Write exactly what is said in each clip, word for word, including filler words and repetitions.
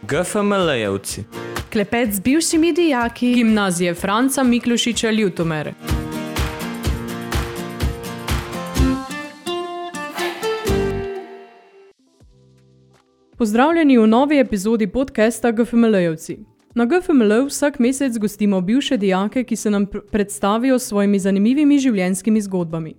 GFML-jevci. Klepet z bivšimi dijaki Gimnazije Franca Miklošiča Ljutomer. Pozdravljeni v novi epizodi podcasta GFML-jevci. Na G F M L vsak mesec gostimo bivše dijake, ki se nam pr- predstavijo s svojimi zanimivimi življenjskimi zgodbami.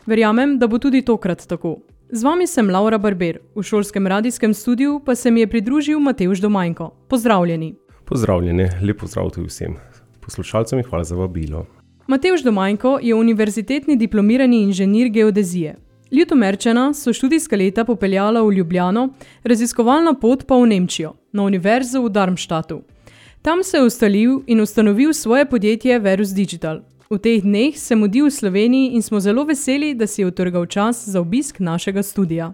Verjamem, da bo tudi tokrat tako. Z vami sem Laura Barber, v šolskem radijskem studiu pa se mi je pridružil Matevž Domajnko. Pozdravljeni. Pozdravljeni, lep pozdrav tudi vsem poslušalcem in hvala za vabilo. Matevž Domajnko je univerzitetni diplomirani inženir geodezije. Ljutomerčana so študijska leta popeljala v Ljubljano, raziskovalna pot pa v Nemčijo, na univerzo v Darmstadtu. Tam se je ustalil in ustanovil svoje podjetje Verus Digital. V teh dneh se mudi v Sloveniji in smo zelo veseli, da si je utrgal čas za obisk našega studia.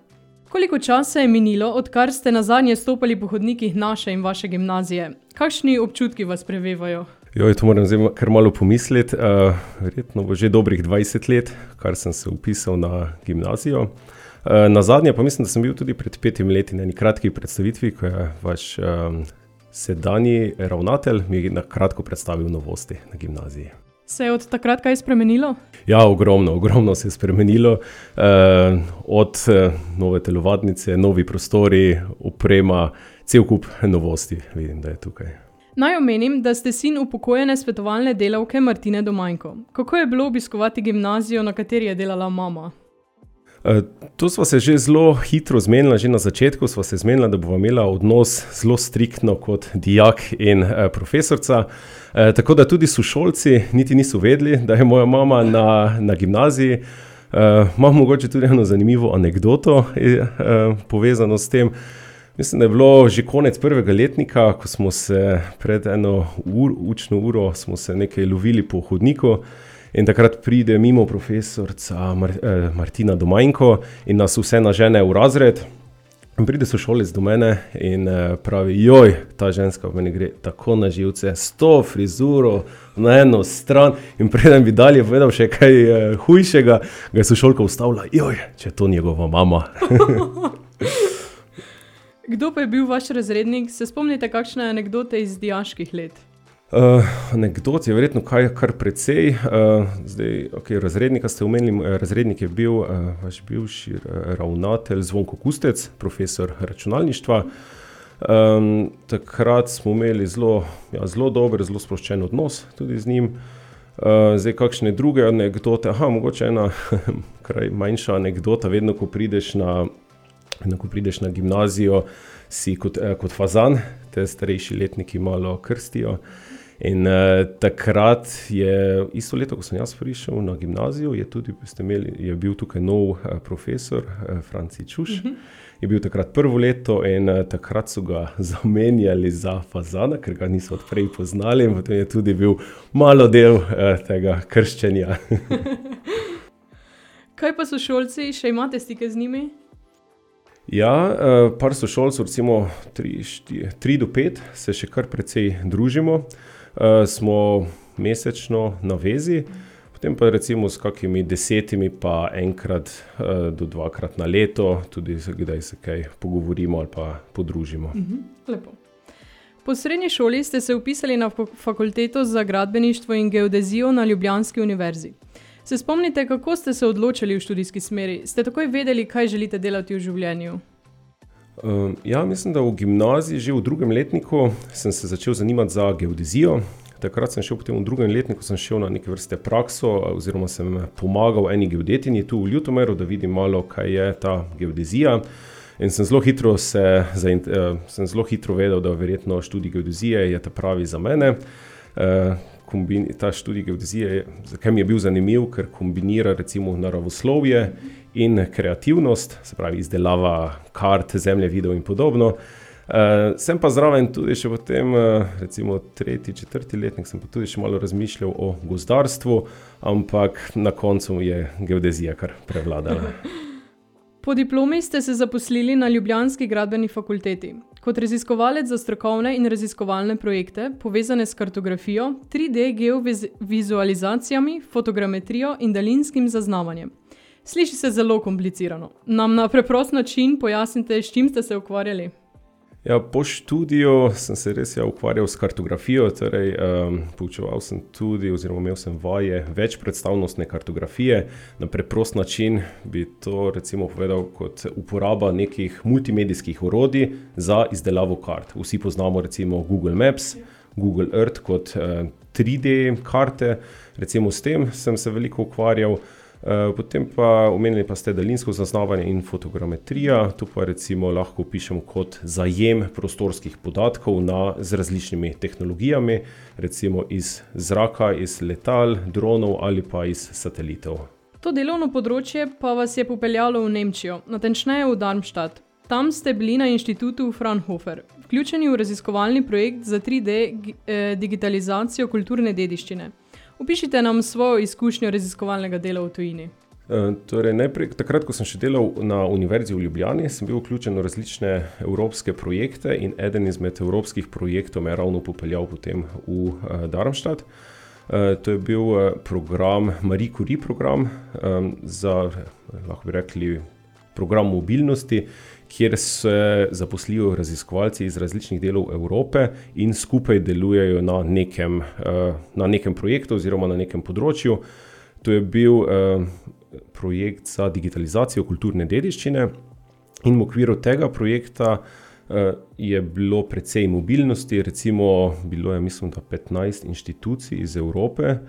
Koliko časa je minilo, odkar ste nazadnje stopali po hodnikih naše in vaše gimnazije? Kakšni občutki vas prevevajo? Joj, to moram zdaj kar malo pomisliti. Uh, verjetno bo že dobrih dvajset let, kar sem se upisal na gimnazijo. Uh, nazadnje pa mislim, da sem bil tudi pred petim leti na eni kratki predstavitvi, ko je vaš um, sedanji ravnatelj mi na kratko predstavil novosti na gimnaziji. Se je od takrat kaj spremenilo? Ja, ogromno, ogromno se je spremenilo. Uh, od uh, nove telovadnice, novi prostori, oprema, cel kup novosti vidim, da je tukaj. Naj omenim, da ste sin upokojene svetovalne delavke Martine Domajnko. Kako je bilo obiskovati gimnazijo, na kateri je delala mama? Uh, to sva se že zelo hitro zmenila, že na začetku sva se zmenila, da bova imela odnos zelo striktno kot dijak in uh, profesorca. Uh, tako da tudi sošolci niti niso vedeli, da je moja mama na, na gimnaziji. Uh, imam mogoče tudi eno zanimivo anekdoto uh, povezano s tem. Mislim, da je bilo že konec prvega letnika, ko smo se pred eno ur, učno uro smo se nekaj lovili po hodniku. In takrat pride mimo profesorca Mar- eh, Martina Domajnko in nas vse nažene v razred. In pride sošolec do mene in eh, pravi, joj, ta ženska v meni gre tako na živce, s to frizuro na eno stran. In preden bi dalje povedal še kaj eh, hujšega, ga je sošolka ustavila, joj, če je to njegova mama. Kdo pa je bil vaš razrednik? Se spomnite kakšne anekdote iz dijaških let? Uh, anekdot je verjetno kaj, kar precej. Uh, zdaj, okay, razrednika ste omenili, razrednik je bil uh, vaš bivši ravnatelj Zvonko Kustec, profesor računalništva. Um, takrat smo imeli zelo, ja, zelo dober, zelo sproščen odnos tudi z njim. Uh, zdaj, kakšne druge anekdote? Aha, mogoče ena kraj manjša anekdota, vedno, ko prideš na, vedno, ko prideš na gimnazijo, si kot, eh, kot fazan, te starejši letniki malo krstijo. In uh, takrat je, isto leto, ko sem jaz prišel na gimnazijo, je, tudi, ste imeli, je bil tukaj nov uh, profesor, uh, Franci Čuš. Uh-huh. Je bil takrat prvo leto in uh, takrat so ga zamenjali za fazana, ker ga niso odprej poznali in potem je tudi bil malo del uh, tega krščenja. Kaj pa so šolci, še imate stike z njimi? Ja, uh, par sošolcev, recimo tri, štiri, tri do pet, se še kar precej družimo. Uh, smo mesečno na vezi, potem pa recimo s kakimi desetimi pa enkrat uh, do dvakrat na leto, tudi kdaj se kaj pogovorimo ali pa podružimo. Mhm, lepo. Po srednji šoli ste se upisali na fakulteto za gradbeništvo in geodezijo na Ljubljanski univerzi. Se spomnite, kako ste se odločili v študijski smeri? Ste takoj vedeli, kaj želite delati v življenju? Uh, ja, mislim, da v gimnaziji, že v drugem letniku, sem se začel zanimati za geodezijo. Takrat sem šel potem v drugem letniku, sem šel na neke vrste prakso, oziroma sem pomagal eni geodetinji tu v Ljutomeru, da vidim malo, kaj je ta geodezija. In sem zelo hitro, se, uh, sem zelo hitro vedel, da verjetno študij geodezije je ta pravi za mene. Uh, Kombin, ta študij geodezije, zakaj mi je bil zanimiv, ker kombinira recimo naravoslovje in kreativnost, se pravi izdelava kart, zemljevidov in podobno. Uh, sem pa zraven tudi še potem, uh, recimo tretji, četrti letnik, sem pa tudi še malo razmišljal o gozdarstvu, ampak na koncu je geodezija kar prevladala. Po diplomi ste se zaposlili na Ljubljanski gradbeni fakulteti. Kot raziskovalec za strokovne in raziskovalne projekte, povezane s kartografijo, tri D geovizualizacijami, fotogrametrijo in daljinskim zaznavanjem. Sliši se zelo komplicirano. Nam na preprost način pojasnite, s čim ste se ukvarjali? Ja, po študiju sem se res ja ukvarjal s kartografijo, torej um, poučeval sem tudi, oziroma imel sem vaje več predstavnostne kartografije. Na preprost način bi to recimo povedal kot uporaba nekih multimedijskih orodij za izdelavo kart. Vsi poznamo recimo Google Maps, Google Earth kot uh, tri D karte, recimo s tem sem se veliko ukvarjal. Uh, potem pa omenili pa ste daljinsko zaznavanje in fotogrametrija, tu pa recimo lahko pišemo kot zajem prostorskih podatkov na, z različnimi tehnologijami, recimo iz zraka, iz letal, dronov ali pa iz satelitov. To delovno področje pa vas je popeljalo v Nemčijo, natančneje v Darmstadt. Tam ste bili na inštitutu Fraunhofer, vključeni v raziskovalni projekt za tri D eh, digitalizacijo kulturne dediščine. Opišite nam svojo izkušnjo raziskovalnega dela v tujini. E, torej, najprej, takrat, ko sem še delal na Univerzi v Ljubljani, sem bil vključen v različne evropske projekte in eden izmed evropskih projektov me je ravno popeljal potem v uh, Darmstadt. Uh, to je bil uh, program, Marie Curie program, um, za, lahko bi rekli, program mobilnosti, kjer se zaposlijo raziskovalci iz različnih delov Evrope in skupaj delujejo na nekem, na nekem projektu oziroma na nekem področju. To je bil projekt za digitalizacijo kulturne dediščine in v okviru tega projekta je bilo precej mobilnosti, recimo bilo je, mislim, da petnajst inštitucij iz Evrope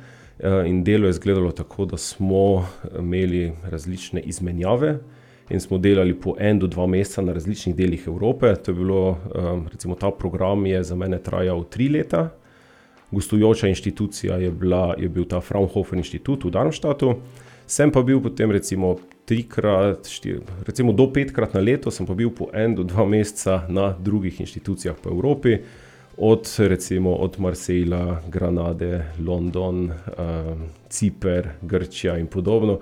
in delo je izgledalo tako, da smo imeli različne izmenjave in smo delali po en do dva meseca na različnih delih Evrope. To je bilo, recimo ta program je za mene trajal tri leta. Gostujoča inštitucija je, bila, je bil ta Fraunhofer inštitut v Darmstadtu. Sem pa bil potem recimo trikrat, štir, recimo do petkrat na leto, sem pa bil po en do dva meseca na drugih inštitucijah po Evropi. Od recimo od Marsejla, Granade, London, um, Ciper, Grčija in podobno.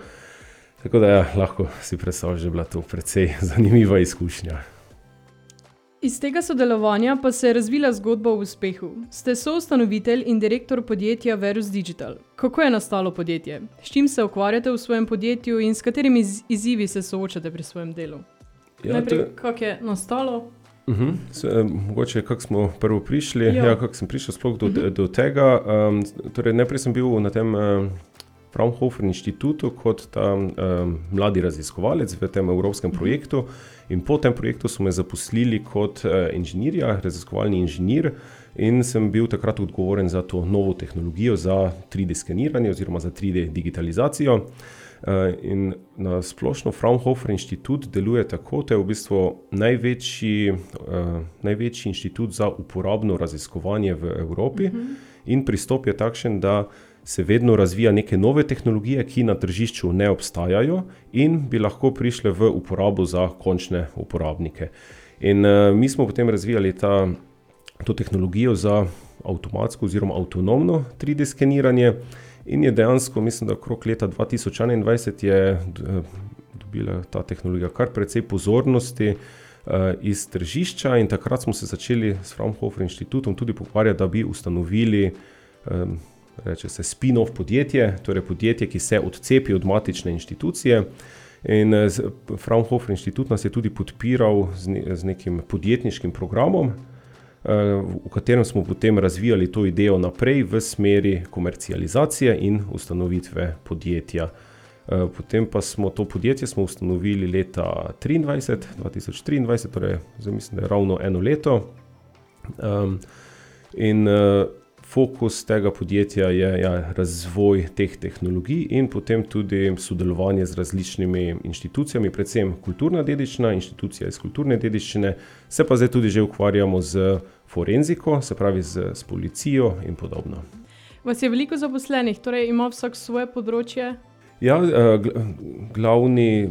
Tako da ja, lahko si predstavljaš, da je bila to precej zanimiva izkušnja. Iz tega sodelovanja pa se je razvila zgodba o uspehu. Ste soustanovitelj in direktor podjetja Verus Digital. Kako je nastalo podjetje? S čim se ukvarjate v svojem podjetju in s katerimi izzivi se soočate pri svojem delu? Ja, Najprej, to... kako je nastalo? Uh-huh. Se, mogoče, kako smo prvo prišli, ja. Ja, kako sem prišel sploh do, uh-huh. do tega. Um, torej, najprej sem bil na tem um, Fraunhofer inštitutu kot ta um, mladi raziskovalec v tem evropskem projektu in po tem projektu so me zaposlili kot uh, inženirja, raziskovalni inženir in sem bil takrat odgovoren za to novo tehnologijo za tri D skeniranje oziroma za tri D digitalizacijo. Uh, in na splošno Fraunhofer inštitut deluje tako, to je v bistvu največji, uh, največji inštitut za uporabno raziskovanje v Evropi uh-huh. in pristop je takšen, da se vedno razvija neke nove tehnologije, ki na tržišču ne obstajajo in bi lahko prišle v uporabo za končne uporabnike. In uh, mi smo potem razvijali ta, to tehnologijo za avtomatsko oziroma avtonomno tri D skeniranje in je dejansko, mislim, da okrog leta dva tisoč enaindvajset je dobila ta tehnologija kar precej pozornosti uh, iz tržišča in takrat smo se začeli s Fraunhofer inštitutom tudi pogovarjati, da bi ustanovili um, reče se spin-off podjetje, torej podjetje, ki se odcepi od matične inštitucije. In Fraunhofer inštitut nas je tudi podpiral z, ne, z nekim podjetniškim programom, v katerem smo potem razvijali to idejo naprej v smeri komercializacije in ustanovitve podjetja. Potem pa smo to podjetje smo ustanovili leta triindvajset, dva tisoč triindvajset, torej zdaj mislim, da je ravno eno leto. Um, in fokus tega podjetja je ja, razvoj teh tehnologij in potem tudi sodelovanje z različnimi inštitucijami, predvsem kulturna dediščina, inštitucija iz kulturne dediščine, se pa zdaj tudi že ukvarjamo z forenziko, se pravi z, z policijo in podobno. Vas je veliko zaposlenih, torej ima vsak svoje področje? Ja, glavni,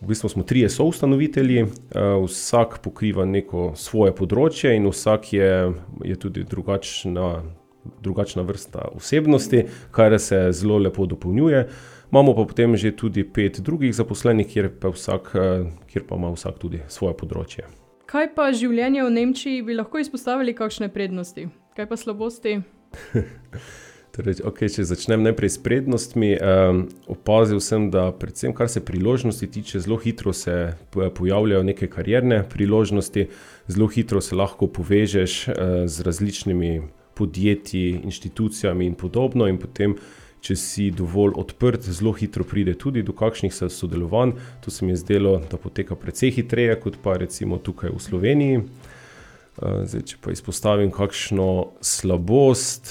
v bistvu smo trije soustanovitelji, vsak pokriva neko svoje področje in vsak je, je tudi drugačna, drugačna vrsta osebnosti, kar se zelo lepo dopolnjuje. Imamo pa potem že tudi pet drugih zaposlenih, kjer pa, vsak, kjer pa ima vsak tudi svoje področje. Kaj pa življenje v Nemčiji, bi lahko izpostavili kakšne prednosti? Kaj pa slabosti? Torej, okay, če začnem najprej s prednostmi, um, opazil sem, da predvsem kar se priložnosti tiče, zelo hitro se pojavljajo neke karierne priložnosti, zelo hitro se lahko povežeš uh, z različnimi podjetji, inštitucijami in podobno in potem, če si dovolj odprt, zelo hitro pride tudi do kakšnih sodelovanj. To se mi je zdelo, da poteka precej hitreje, kot pa recimo tukaj v Sloveniji. Zdaj, če pa izpostavim kakšno slabost,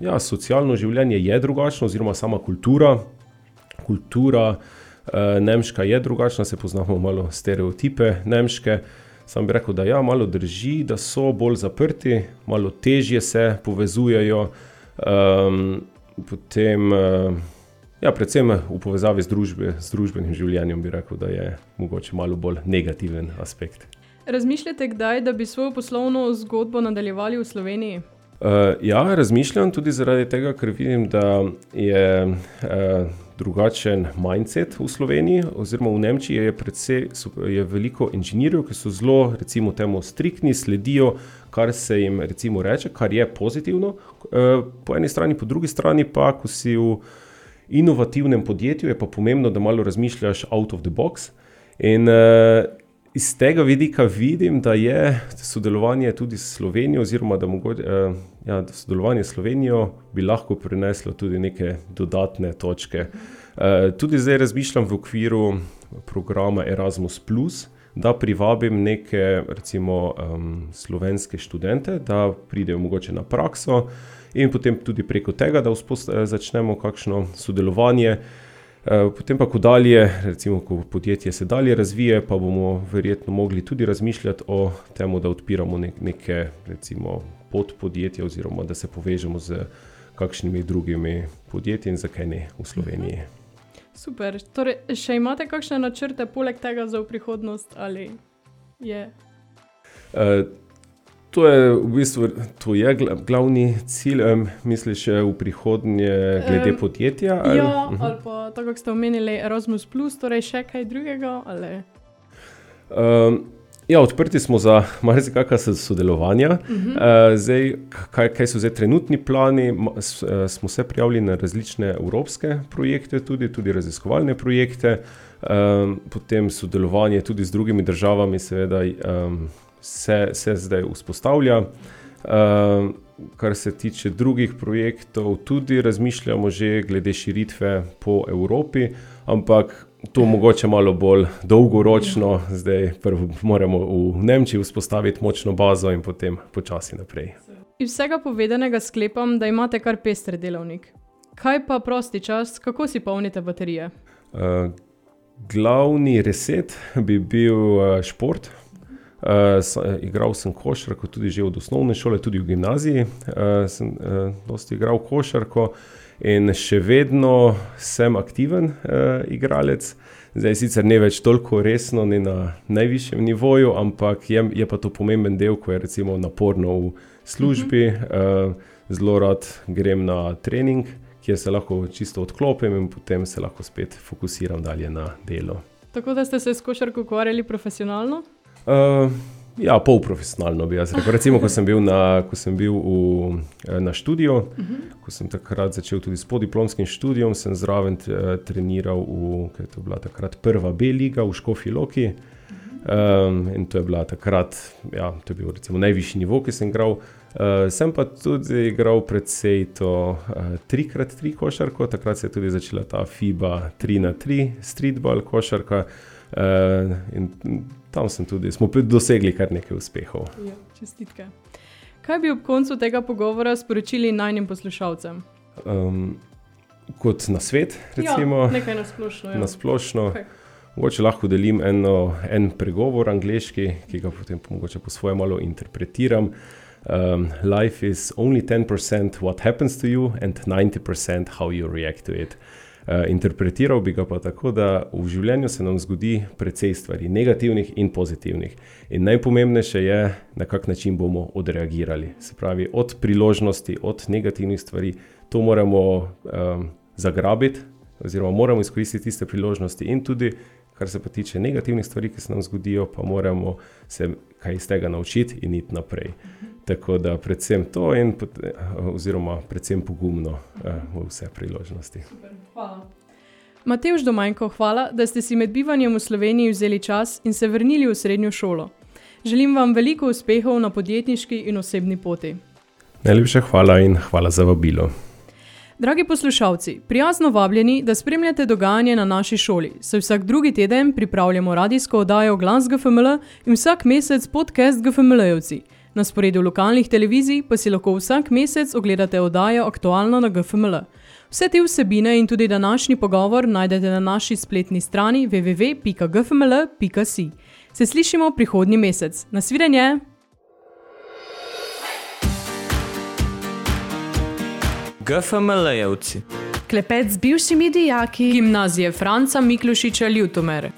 ja, socialno življenje je drugačno, oziroma sama kultura. Kultura nemška je drugačna, se poznamo malo stereotipe nemške. Sam bi rekel, da ja, malo drži, da so bolj zaprti, malo težje se povezujejo, potem, ja, predvsem v povezavi z, družbe, z družbenim življenjem bi rekel, da je mogoče malo bolj negativen aspekt. Razmišljate kdaj, da bi svojo poslovno zgodbo nadaljevali v Sloveniji? Uh, ja, razmišljam tudi zaradi tega, ker vidim, da je uh, drugačen mindset v Sloveniji, oziroma v Nemčiji je, predvsej, je veliko inženirjev, ki so zelo, recimo temu, striktni, sledijo, kar se jim recimo reče, kar je pozitivno. Uh, po eni strani, po drugi strani pa, ko si v inovativnem podjetju, je pa pomembno, da malo razmišljaš out of the box. In uh, iz tega vidika vidim, da je sodelovanje tudi s Slovenijo, oziroma da mogoče, uh, ja, sodelovanje s Slovenijo bi lahko prineslo tudi neke dodatne točke. Uh, tudi zdaj razmišljam v okviru programa Erasmus plus, da privabim neke recimo um, slovenske študente, da pridejo mogoče na prakso in potem tudi preko tega, da vzpost- začnemo kakšno sodelovanje. Potem pa, ko dalje, recimo, ko podjetje se dalje razvije, pa bomo verjetno mogli tudi razmišljati o temu, da odpiramo neke, recimo, podpodjetja oziroma da se povežemo z kakšnimi drugimi podjetji in zakaj ne v Sloveniji. Super. Torej, še imate kakšne načrte poleg tega za v prihodnost ali je? Uh, To je v bistvu to je glavni cilj, um, misliš v prihodnje glede um, podjetja? Ali? Ja, uh-huh. Ali pa tako, kako ste omenili Erasmus plus, torej še kaj drugega? Ali? Um, ja, odprti smo za marsikakšna sodelovanja. Uh-huh. Uh, zdaj, kaj, kaj so zdaj trenutni plani? S, uh, smo se prijavili na različne evropske projekte, tudi, tudi raziskovalne projekte, um, potem sodelovanje tudi z drugimi državami, seveda. Um, Se, se zdaj vzpostavlja. Uh, kar se tiče drugih projektov, tudi razmišljamo že glede širitve po Evropi, ampak to mogoče malo bolj dolgoročno. Zdaj prvo moramo v Nemčiji vzpostaviti močno bazo in potem počasi naprej. Iz vsega povedanega sklepam, da imate kar pester delovnik. Kaj pa prosti čas, kako si polnite baterije? Uh, glavni reset bi bil uh, šport. Uh, igral sem košarko tudi že od osnovne šole, tudi v gimnaziji uh, sem uh, dosti igral košarko in še vedno sem aktiven uh, igralec. Zdaj sicer ne več toliko resno, ne na najvišjem nivoju, ampak je, je pa to pomemben del, ko je recimo naporno v službi. Uh, zelo rad grem na trening, kjer se lahko čisto odklopim in potem se lahko spet fokusiram dalje na delo. Tako da ste se s košarko ukvarjali profesionalno? Uh, ja, polprofesionalno bi jaz rekel. Recimo, ko sem bil na, ko sem bil v, na študiju, uh-huh. ko sem takrat začel tudi s podiplomskim študijom, sem zraven treniral v, kaj to je bila takrat prva B liga v Škofji Loki. Uh-huh. Um, in to je bila takrat, ja, to je bil recimo najvišji nivo, ki sem igral. Uh, sem pa tudi igral precej to uh, tri krat tri košarko, takrat se je tudi začela ta FIBA tri na tri streetball košarka. Uh, in tam sem tudi, smo dosegli kar nekaj uspehov. Ja, čestitke. Kaj bi ob koncu tega pogovora sporočili najnim poslušalcem? Um, kot nasvet, recimo. Ja, nekaj nasplošno. Ja. Nasplošno. Okay. Mogoče lahko delim eno, en pregovor angleški, ki ga potem mogoče po svoje malo interpretiram. Um, life is only ten percent what happens to you and ninety percent how you react to it. Uh, interpretiral bi ga pa tako, da v življenju se nam zgodi precej stvari, negativnih in pozitivnih. In najpomembnejše je, na kak način bomo odreagirali. Se pravi, od priložnosti, od negativnih stvari, to moramo um, zagrabiti, oziroma moramo izkoristiti tiste priložnosti in tudi, kar se pa tiče negativnih stvari, ki se nam zgodijo, pa moramo se kaj iz tega naučiti in iti naprej. Tako da predvsem to in oziroma predvsem pogumno v vse priložnosti. Super, hvala. Matevž Domajnko, hvala, da ste si med bivanjem v Sloveniji vzeli čas in se vrnili v srednjo šolo. Želim vam veliko uspehov na podjetniški in osebni poti. Najlepša hvala in hvala za vabilo. Dragi poslušalci, prijazno vabljeni, da spremljate dogajanje na naši šoli, saj vsak drugi teden pripravljamo radijsko oddajo Glas G F M L in vsak mesec podcast G F M L-jevci. Na sporedu lokalnih televizij pa si lahko vsak mesec ogledate oddajo Aktualno na G F M L. Vse te vsebine in tudi današnji pogovor najdete na naši spletni strani w w w pika g f m l pika s i. Se slišimo prihodnji mesec. Nasvidenje! G F M L-jevci. Klepet z bivšimi dijaki Gimnazije Franca Miklošiča Ljutomer.